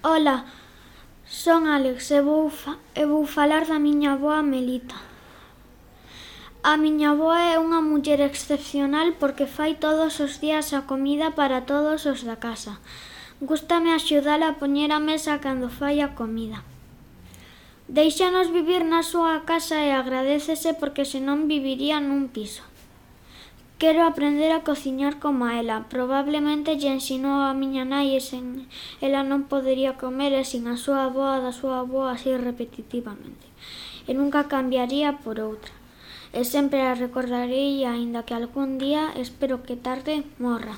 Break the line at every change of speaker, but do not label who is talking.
Ola, son Alex e vou falar da miña avoa Melita. A miña avoa é unha muller excepcional porque fai todos os días a comida para todos os da casa. Gústame axudala a poñer a mesa cando fai a comida. Déixanos vivir na súa casa e agradécese porque senón viviría nun piso. Quero aprender a cociñar coma ela. Probablemente lle ensinou a miña nai e sen ela non podería comer e sin a súa avoa da súa avoa así repetitivamente. E nunca cambiaría por outra. E sempre a recordarei aínda que algún día, espero que tarde, morra.